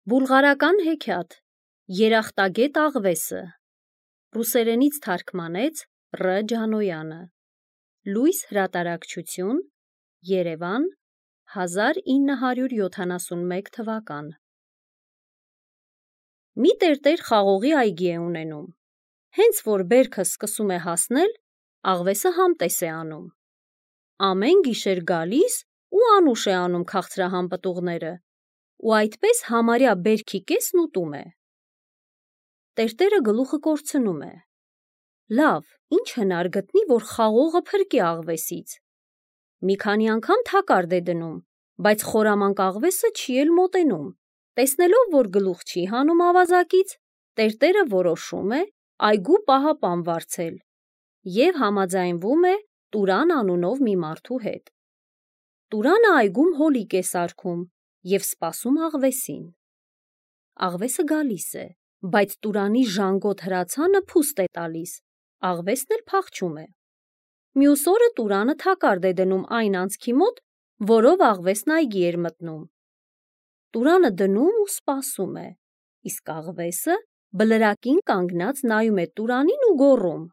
Բուլղարական հեքիաթ Երախտագետ աղվեսը ռուսերենից թարգմանեց Ռ. Ջանոյանը Լույս հրատարակչություն Երևան 1971 թվական Մի տերտեր խաղողի այգի է ունենում, հենց որ բերքը սկսում է հասնել, աղվեսը համտես է անում, ամեն գիշեր գալիս ու անուշ է անում քաղցրահամ պտուղները ու այդպես համարյա բերքի կեսն ուտում է։ Տերտերը գլուխը կորցնում է. Լավ, ինչ հնար գտնի, որ խաղողը փրկի աղվեսից։ Մի քանի անգամ թակարդ է դնում, բայց խորամանկ աղվեսը չի էլ մոտենում։ Տեսնելով, որ գլուխ չի հանում ավազակից, տերտերը որոշում է այգու պահապան վարձել և համաձայնվում է Տուրան անունով մի մարդու հետ։ Տուրանը այգում հոլիկ է սարքում և սպասում աղվեսին։ Աղվեսը գալիս է, բայց Տուրանի ժանգոտ հրացանը փուստ է տալիս, աղվեսն էլ փախչում է։ Մյուս օրը Տուրանը թակարդ է դնում այն անցքի մոտ, որով աղվեսն այգի էր մտնում։ Տուրանը դնում ու սպասում է, իսկ աղվեսը բլրակին կանգնած նայում է Տուրանին ու գոռում.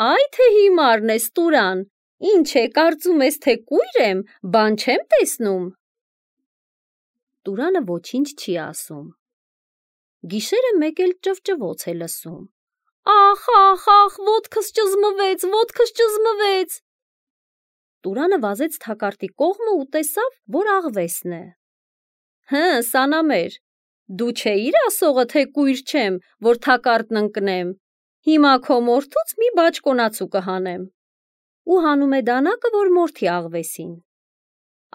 Այ թե հիմարն ես, Տուրան, ինչ է, կարծում ես, թե կույր եմ, բան չեմ տեսնում։ Տուրանը ոչինչ չի ասում։ Գիշերը մեկ էլ ճվճվոց է լսում. Ախ, ախ, ախ, ոտքս ճզմվեց։ Տուրանը վազեց թակարդի կողմը ու տեսավ, որ աղվեսն է։ Հը, սանամեր, դու չէիր ասողը, թե կույր չեմ, որ թակարդն ընկնեմ։ Հիմա քո մորթուց մի բաճկոնացու կհանեմ։ Ու հանում է դանակը, որ մորթի աղվեսին։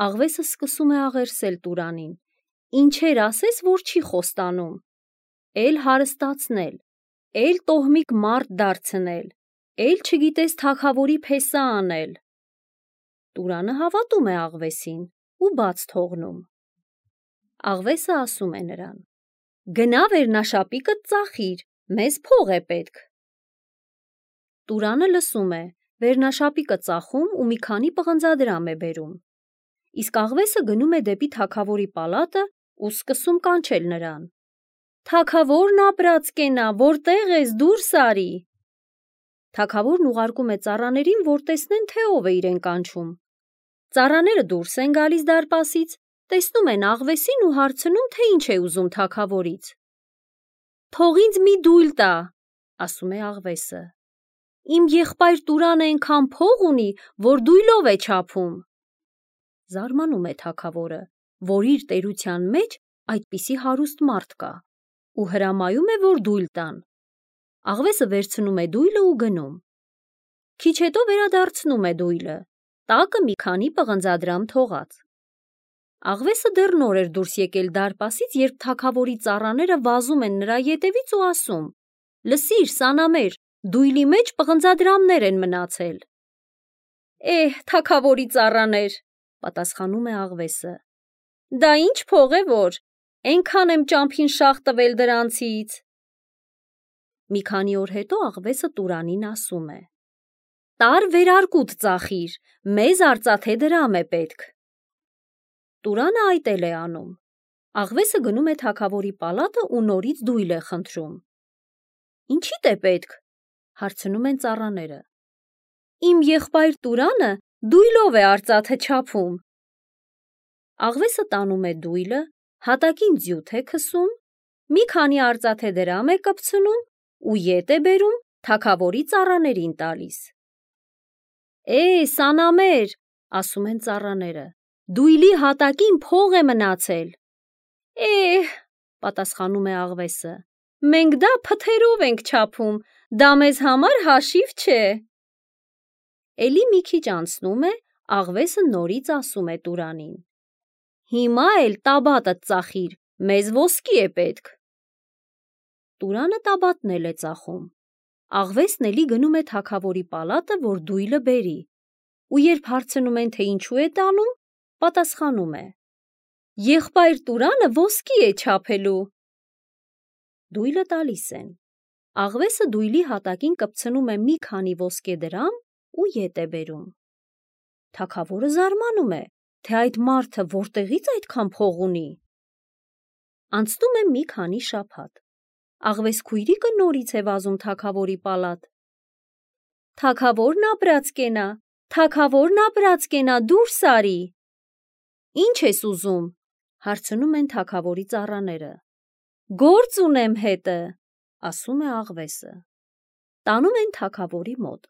Աղվեսը սկսում է աղերսել Տուրանին. Ինչեր ասես, որ չի խոստանում, էլ հարստացնել, էլ տոհմիկ մարդ դարձնել, էլ չգիտես թագավորի փեսա անել։ Տուրանը հավատում է աղվեսին ու բաց թողնում։ Աղվեսը ասում է նրան. Գնա վերնաշապիկդ ծախիր, մեզ փող է պետք։ Տուրանը լսում է, վերնաշապիկը ծախում ու մի քանի պղնձադրամ է բերում։ Իսկ աղվեսը գնում է դեպի թագավորի պալատը ու սկսում կանչել նրան. Թագավորն ապրած կենա, որտեղ ես, դուրս արի։ Թագավորն ուղարկում է ծառաներին, որ տեսնեն, թե ով է իրեն կանչում։ Ծառաները դուրս են գալիս դարպասից, տեսնում են աղվեսին ու հարցնում, թե ինչ է ուզում թագավորից։ Թող ինձ մի դույլ տա, ասում է աղվեսը։ Իմ եղբայր Տուրանը այնքան փող ունի, որ դույլով է չափում։ Զարմանում է թագավորը, որ իր տերության մեջ այդպիսի հարուստ մարդ կա, ու հրամայում է, որ դույլ տան։ Աղվեսը վերցնում է դույլը ու գնում։ Քիչ հետո վերադարձնում է դույլը, տակը մի քանի պղնձադրամ թողած։ Աղվեսը դեռ նոր էր դուրս եկել դարպասից, երբ թագավորի ծառաները վազում են նրա ետևից ու ասում. Լսիր, սանամեր, դույլի մեջ պղնձադրամներ են մնացել։ Թագավորի ծառաներ, պատասխանում է աղվեսը։ Դա ինչ փող է որ, այնքան եմ ճամփին շաղ տվել դրանցից։ Մի քանի օր հետո աղվեսը Տուրանին ասում է. Տար վերարկուտ ծախիր, մեզ արծաթե դրամ է պետք։ Տուրանը այդ էլ է անում։ Աղվեսը գնում է թագավորի պալատը ու նորից դույլ է խնդրում։ Ինչի՞դ է պետք, հարցնում են ծառաները։ Իմ եղբայր Տուրանը դույլով է արծաթե չափում։ Աղվեսը տանում է դույլը, հատակին ձյութ է քսում, մի քանի արծաթե դրամ է կպցնում ու ետ է բերում թագավորի ծառաներին տալիս։ Սանամեր, ասում են ծառաները, դույլի հատակին փող է մնացել։ Պատասխանում է աղվեսը, մենք դա փթերով ենք չափում, դա մեզ համար հաշիվ չէ։ Էլի մի քիչ անցնում է, աղվեսը նորից ասում է Տուրանին. Հիմա էլ տաբատդ ծախիր, մեզ ոսկի է պետք։ Տուրանը տաբատն էլ է ծախում։ Աղվեսն էլի գնում է թագավորի պալատը, որ դույլը բերի, ու երբ հարցնում են, թե ինչու է տանում, պատասխանում է. Եղբայր Տուրանը ոսկի է չափելու։ Դույլը տալիս են։ Աղվեսը դույլի հատակին կպցնում է մի քանի ոսկե դրամ ու ետ է բերում։ Թագավորը զարմանում է, թե այդ մարդը որտեղից այդքան փող ունի։ Անցնում է մի քանի շաբաթ։ Աղվես քույրիկը նորից է վազում թագավորի պալատ։ Թագավորն ապրածկենա, թագավորն ապրածկենա, դուրս արի։ Ինչ ես ուզում, հարցնում են թագավորի ծառաները։ Գործ ունեմ հետը, ասում է աղվեսը։ Տանում են թագավորի մոտ։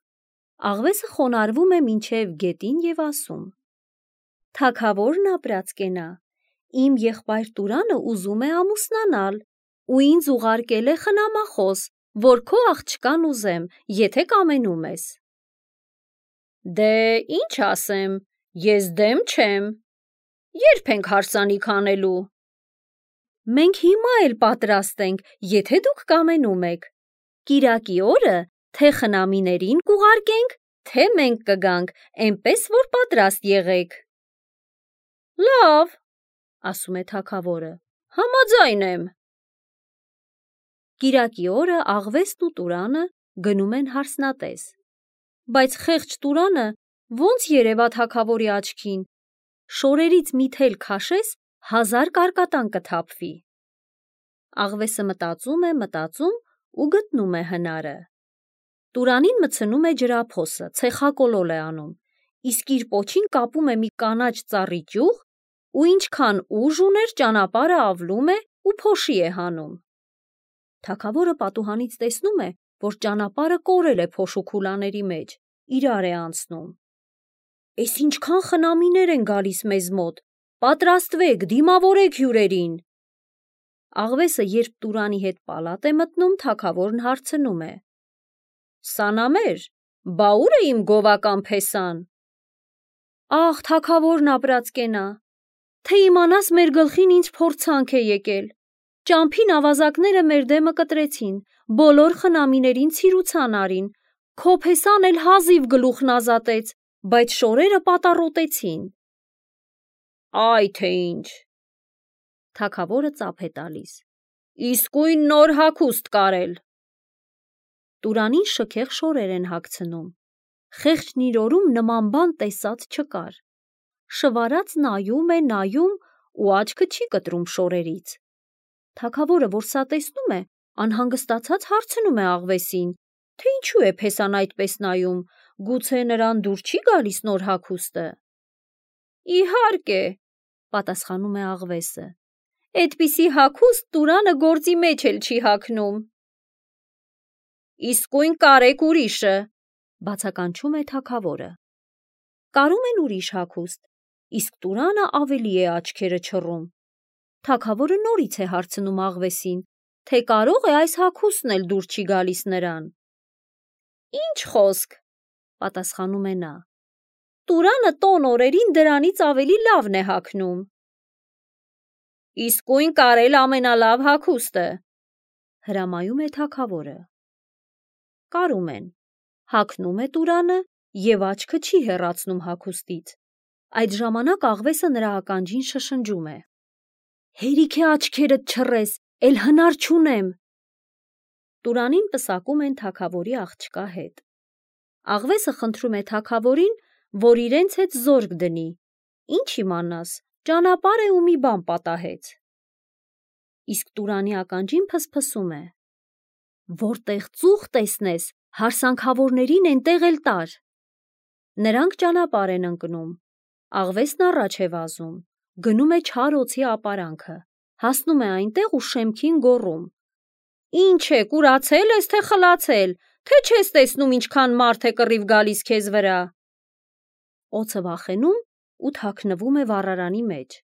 Աղվեսը խոնարհվում է մինչև գետին և ասում. Թագավորն ապրածկենա, իմ եղբայր Տուրանը ուզում է ամուսնանալ ու ինձ ուղարկել է խնամախոս, որ քո աղջկան ուզեմ, եթե կամենում ես։ Դե ինչ ասեմ, ես դեմ չեմ։ Երբ ենք հարսանիք անելու։ Մենք հիմա էլ պատրաստ ենք, եթե դուք կամենում եք։ Կիրակի օրը թե խնամիներին կուղարկենք, թե մենք կգանք, այնպես որ պատրաստ եղեք։ Լավ, ասում է թագավորը, համաձայն եմ։ Կիրակի օրը աղվեսն ու Տուրանը գնում են հարսնատես, բայց խեղճ Տուրանը ոնց երևա թագավորի աչքին, շորերից մի թել քաշես, 1000 կարկատան կթափվի։ Աղվեսը մտածում ու գտնում է հնարը։ Տուրանին մտցնում է ջրափոսը, ցեխակոլոլ է անում, իսկ իր պոչին կապում է մի կանաչ ծառի ճյուղ ու ինչքան ուժ ուներ ճանապարհը ավլում է ու փոշի է հանում։ Թագավորը պատուհանից տեսնում է, որ ճանապարհը կորել է փոշու քուլաների մեջ, իրար է անցնում։ Էս ինչքան խնամիներ են գալիս մեզ մոտ, պատրաստվեք, դիմավորեք հյուրերին։ Աղվեսը երբ Տուրանի հետ պալատ է մտնում, թագավորն հարցնում է. Սանամեր, բա ուր է իմ գովական փեսան։ Աղ, թագավորն ապրածկենա, թե իմանաս մեր գլխին ինչ փորձանք է եկել։ Ճամփին ավազակները մեր դեմը կտրեցին, բոլոր խնամիներին ցիրուցան արին, քո փեսան էլ հազիվ գլուխն ազատեց, բայց շորերը պատառոտեցին։ Այ թե ինչ։ Թագավորը ծափ է տալիս։ Իսկույն նոր հագուստ կարել։ Տուրանին շքեղ շորեր են հագցնում։ Խեղճն իր օրում նման բան տեսած չկար։ Շվարած նայում ու աչքը չի կտրում շորերից։ Թագավորը, որ սա տեսնում է, անհանգստացած հարցնում է աղվեսին, թե ինչու է փեսան այդպես նայում, գուցե նրան դուր չի գալիս նոր հագուստը։ Իհարկե, պատասխանում է աղվեսը։ Այդպիսի հագուստ Տուրանը գործի մեջ էլ չի հագնում։ Իսկույն կարեք ուրիշը, բացականչում է թագավորը։ Կարում են ուրիշ հագուստ, իսկ Տուրանը ավելի է աչքերը չռում։ Թագավորը նորից է հարցնում աղվեսին, թե կարող է այս հագուստն էլ դուր չի գալիս նրան։ Ինչ խոսք, պատասխանում է նա։ Տուրանը տոն օրերին դրանից ավելի լավն է հագնում։ Իսկույն կարել ամենալավ հագուստը, հրամայում է թագավորը։ Կարում են, հագնում է Տուրանը և աչքը չի հեռացնում հագուստից։ Այդ ժամանակ աղվեսը նրա ականջին շշնջում է. Հերիք է աչքերդ չռես, էլ հնար չունեմ։ Տուրանին պսակում են թագավորի աղջկա հետ։ Աղվեսը խնդրում է թագավորին, որ իրենց հետ զորք դնի։ Ինչ իմանաս, ճանապարհ է ու մի բան պատահեց։ Իսկ Տուրանի ականջին փսփսում է. Որտեղ ծուխ տեսնես, հարսանքավորներին էնտեղ էլ տար։ Նրանք ճանապարհ են ընկնում։ Աղվեսն առաջ է վազում, գնում է չար օձի ապարանքը, հասնում է այնտեղ ու շեմքին գոռում. Ինչ է, կուրացել ես, թե խլացել, թե չես տեսնում ինչքան մարդ է կռիվ գալիս քեզ վրա։ Օձը վախենում ու թաքնվում է վառարանի մեջ։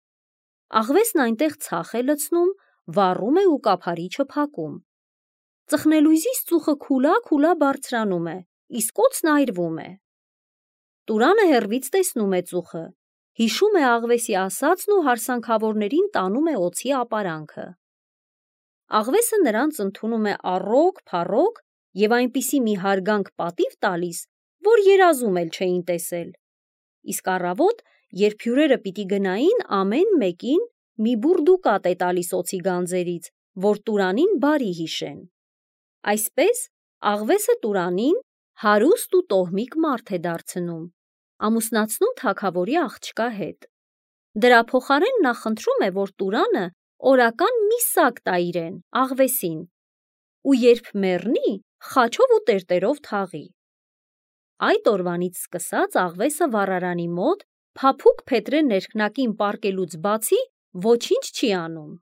Աղվեսն այնտեղ ցախ է լցնում, վառում է ու կափարիչը փակում։ Ծխնելույզից ծուխը քուլա բարձրանում է, իսկ օձն այրվում է։ Տուրանը հեռվից տեսնում է ծուխը, հիշում է աղվեսի ասածն ու հարսանքավորներին տանում է օձի ապարանքը։ Աղվեսը նրանց ընդունում է առոգ-փառոգ և այնպիսի մի հարգանք պատիվ տալիս, որ երազում էլ չէին տեսել։ Իսկ առավոտ, երբ հյուրերը պիտի գնային, ամեն մեկին մի բուռ դուկատ է տալիս օձի գանձերից, որ Տուրանին բարի հիշեն։ Այսպես աղվեսը Տուրանին հարուստ ու տոհմիկ մարդ է դարձնում, ամուսնացնում թագավորի աղջկա հետ։ Դրա փոխարեն նա խնդրում է, որ Տուրանը օրական մի սակ տա իրեն, աղվեսին, ու երբ մեռնի, խաչով ու տերտերով թաղի։ Այդ օրվանից սկսած աղվեսը վառարանի մոտ փափուկ փետրե ներքնակին պառկելուց բացի ոչինչ չի անում։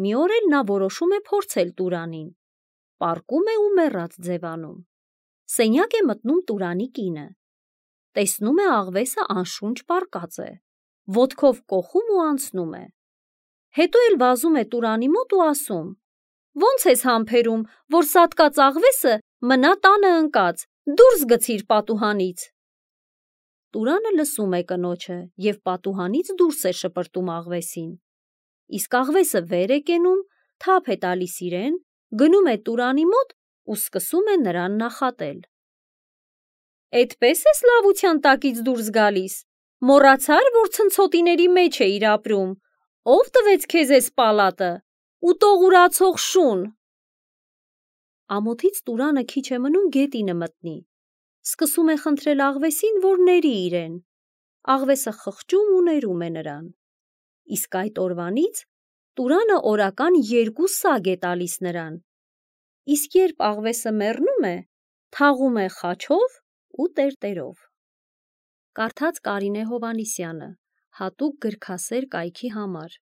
Մի օր էլ նա որոշում է փորձել Տուրանին, պառկում է ու մեռած ձևանում։ Սենյակ է մտնում Տուրանի կինը, տեսնում է աղվեսը անշունչ պառկած է, ոտքով կոխում ու անցնում է։ Հետո էլ վազում է Տուրանի մոտ ու ասում. «Ոնց ես համբերում, որ սատկած աղվեսը մնա տանը ընկած, դուրս գցիր պատուհանից»։ Տուրանը լսում է կնոջը և պատուհանից դուրս է շպրտում աղվեսին։ Իսկ աղվեսը վեր է կենում, թափ է տալիս իրեն, գնում է Տուրանի մոտ ու սկսում է նրան նախատել. «Էդպես ես լավության տակից դուրս գալիս, մոռացա՞ր, որ ցնցոտիների մեջ էիր ապրում, ով տվեց քեզ էս պալատը, ուտողուրացող շուն»։ Ամոթից Տուրանը քիչ է մնում գետինը մտնի, սկսում է խնդրել աղվեսին, որ ների իրեն։ Աղվեսը խղճում ու ներում է նրան։ Իսկ այդ օրվանից Տուրանը օրական 2 սаг է տալիս նրան, իսկ երբ աղվեսը մեռնում է, թաղում է խաչով ու տերտերով։ Կարդաց Կարինե Հովհաննիսյանը, հատուկ գրքասեր կայքի համար։